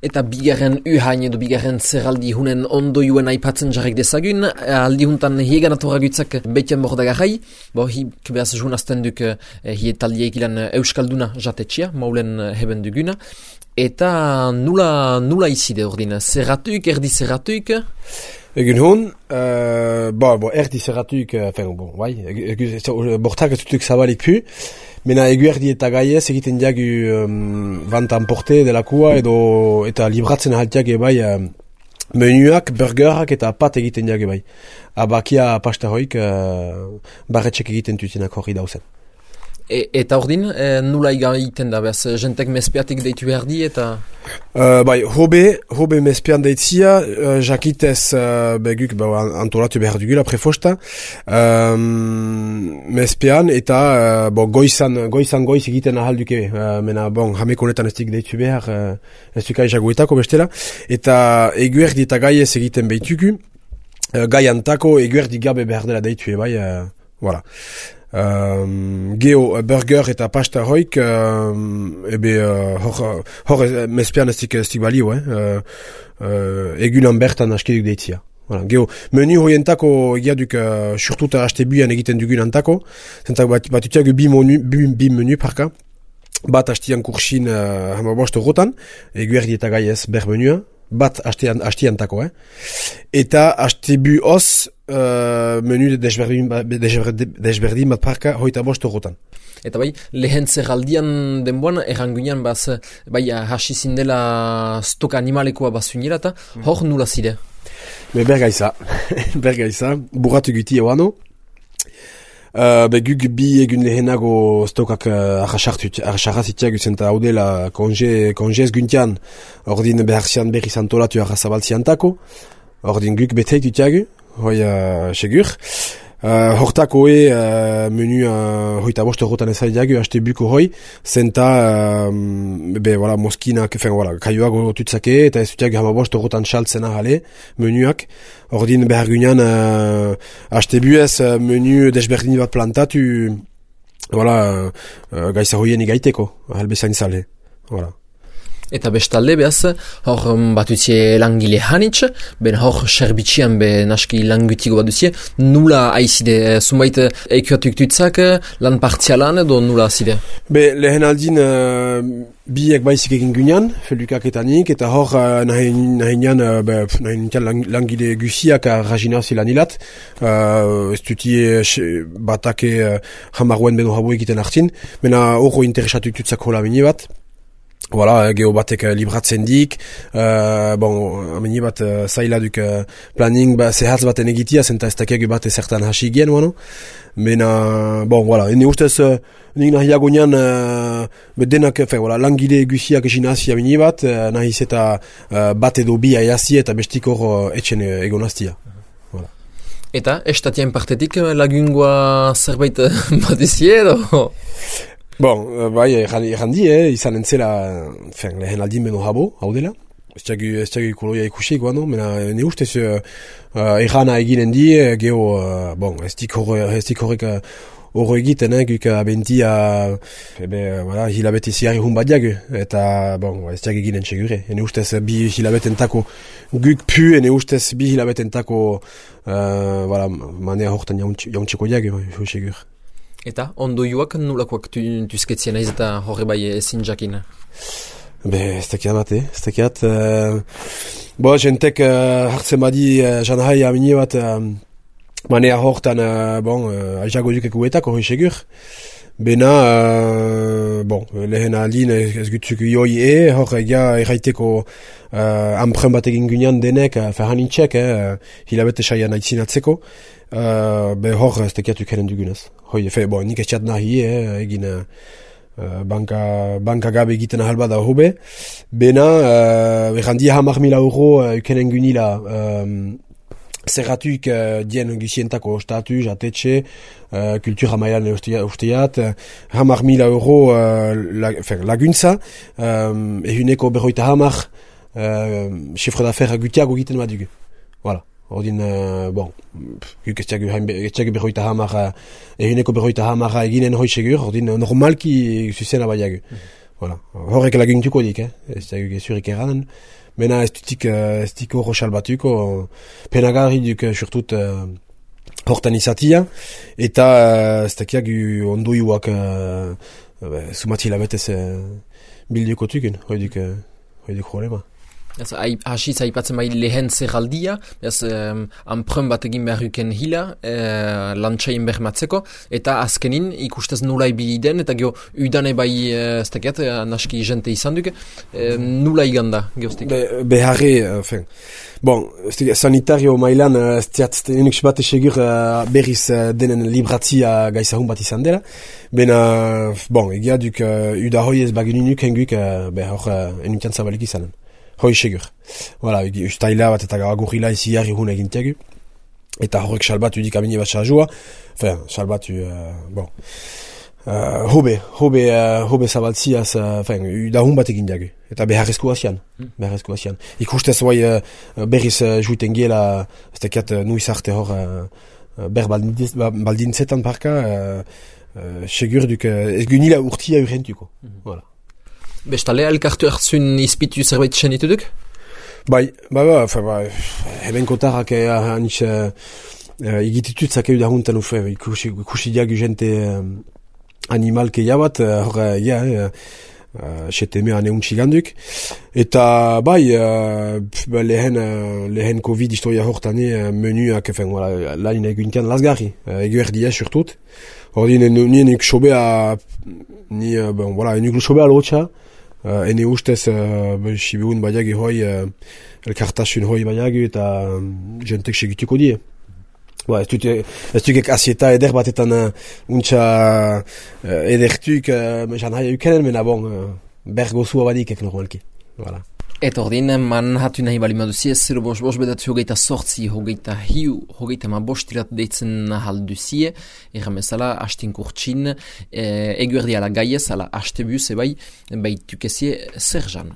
Eta bigarren uhain edo bigarren zerraldi hunen ondoiuen aipatzen jarrek dezagun, aldi huntan hiegan atorragutzak betian bordagarrai, hik behaz junazten duk hietaldiek ilan euskalduna jatetxia, maulen heben duguna, eta nula izide ordin, zerratuik, erdi zerratuik? Egun hon, erdi zerratuik, bortak ez dutuk zabalik pu, mena egu erdi eta gaiez egiten diagu vantan porte delakua eta libratzen ahaltiak ebai menuak, burgerak eta pat egiten diagu ebai. Abakia pasta hoik barretxek egiten tutenak horri dauzen. Eta ordin, nula egiten da, behaz, jentek mezpiatik deitu behar di eta... Hobe mezpian deitzia, jakitez beguk antolatu behar dugula prefosta, mezpian eta goizan goiz egiten ahal duke, mena hameko honetan ez dik deitu behar, ez dukai jagoetako bestela, eta eguerdi eta gaiez egiten behitugu, gaiantako eguerdi gabe behar dela deitu bai, voilà. Geo burger eta pasta hoik hor mezpian ez dik balio egunan bertan askiduk deitzia. Geo menu hoientako egiaduk surtuta haste buian egiten dugun antako, zentak bat utiagu bi menu parka, bat hastian kursin hamabost rotan, eguerdi eta gaiez ber menua, bat hastiantako, eta haste bu os menu desberdin bat parka hoita bost rotan. Eta lehen zerraldian denboan, errangunean hasi zindela stok animalekoa bazuinera eta hor nula zide? Bergaiza, burratu guti eguano. Guk bi egun lehenago stokak arrasarrazitiak zenta haudela konjez guntian ordin beharzian berri zantolatu arrazabaltziantako, ordin guk beteitutiagu, hoi segur. Hortako menu hoita bost rotan ezaidiagu, haste buko hoi, zenta moskinak, kaioago tutzake, eta ez dutiagu hama bost rotan saltzena jale, menuak. Ordin behar gunean, haste buez menu desberdin bat plantatu, gaisa hoien igaiteko, halbezain zale. Eta bestalde behaz, hor batutzie langile hanitz, ben hor serbitxian naski langutiko batutzie, nula haizide, zumait eikuatuk tutzak, lan partzialan edo nula azide? Lehen aldin biek baizik egin gunean, felukak eta nik, eta hor nahinean langile guziak rajina zilan hilat, ez dutie batake jamaruen beno habo egiten hartin, mena horro interesatuk tutzak hola mini bat, geo batek libratzen dik, ameni bat zaila duk planning zehatz baten egitia, zenta ez dakiago bat ezertan hasi gen, mena, ene ustez, nik nahiago nian, denak, langile guziak esin hasi ameni bat, nahiz eta bat edo bi aiazi eta bestik hor etxen egonaztia. Eta, estatien partetik lagungoa zerbait bat izie edo? Errandi, izan entzela, lehen aldin beno habo, hau dela. Ez txagu koloia ikusik, mena ne ustez errana eginen di, geho, ez dik horrek horro egiten, guk abentia, hilabete ziari hun bat diagu, eta, ez txagu eginen segure. Ne ustez bi hilabetentako guk pu, ne ustez bi hilabetentako, manea hortan jauntxeko diagu, segur. Eta ondoioak nulakoak tuzketzien aiz eta horre bai ezin jakin? Ez dakiat bat, ez dakiat. Jentek hartzen badi janahai amini bat manea hortan aizago dukeko etako hoi segur. Bena, lehen aldin ez gutzuk ioi hor erraiteko ampren bat egin gunean denek ferhanintxek, hilabete saian aitzinatzeko, hor ez tekiatu keren dugunez. Nik ez txat nahi egin banka gabe egiten ahal bada hobe. Bena, errandia €100,000 ukenen gunila zerratuik dien gizientako ostatu, jatetxe, kultura mailan usteat, €100,000 laguntza, ehuneko 50 chiffre d'affaires gutiago egiten badugu. Ordin, guk ez txagu 50 ehuneko 50 eginen hoi segur, ordin normalki zuzena baiagu. Voilà. Horrek laguntuko dik, ez da gezurik erranen. Mena ez dutik horro salbatuko, penagarri duk surtut hortan izatia, eta ez dakiak ondoiuak sumatila betez bilduko tuken, hoi duk problema. Hasi zaipatzen bai lehen zerraldia, anprun bat egin beharruken hila, lantxaien bermatzeko, eta azkenin ikustez nula ibili den, eta gero udane bai, ez dakiat, naski jente izan duk, nula iganda, geostik? Beharre, bon, sanitario mailan, enik bat esegur berriz denen libratzia gaizahun bat izan dela, bena, bon, egia duk udahoi ez baginunuk henguk, hor enukian zabalik izanen. Hoi segur. Voilà, ustaila bat eta agurrila izi jarri hun egintiagu. Eta horrek salbatu dik amine bat sajua. Enfin, salbatu, bon. Hobe zabaltziaz, udahun bat egintiagu. Eta beharrezko asian. Ikustez bai berriz juiten giela, ez tekiat nuiz arte hor ber baldintzetan parka, segur duk, ez gunila urtia urrentuko. Voilà. Bestale, elkartu hartzun izpitu zerbait txenitu duk? Bai, hemen kotarrak hanitz igititut zakeu da huntan ufe, ikusi diagu jente animalke jabat, seteme ane untxiganduk. Eta bai, lehen Covid historia hortane menuak, lain eguntian lasgarri, eguerdia surtut. Ordin, nik sobea, nik sobea lotxa, ene ustez sibun baiagi hoi elkartasun hoi baiagi eta jentek segituko die. Ez dukek asieta eder batetan untxa edertuk jan haia ukenen, mena bon, bergozua badikek normalki. Voilà. Eta ordin, man hatu nahi bali maduzi ez, 0 bedatzi hogeita sortzi, hogeita hiu, hogeita ma bostirat deitzen halduzie, erramezala, hastin kurtsin, eguerdi ala gaiez, ala haste buz, ebai, tukezie zer jan.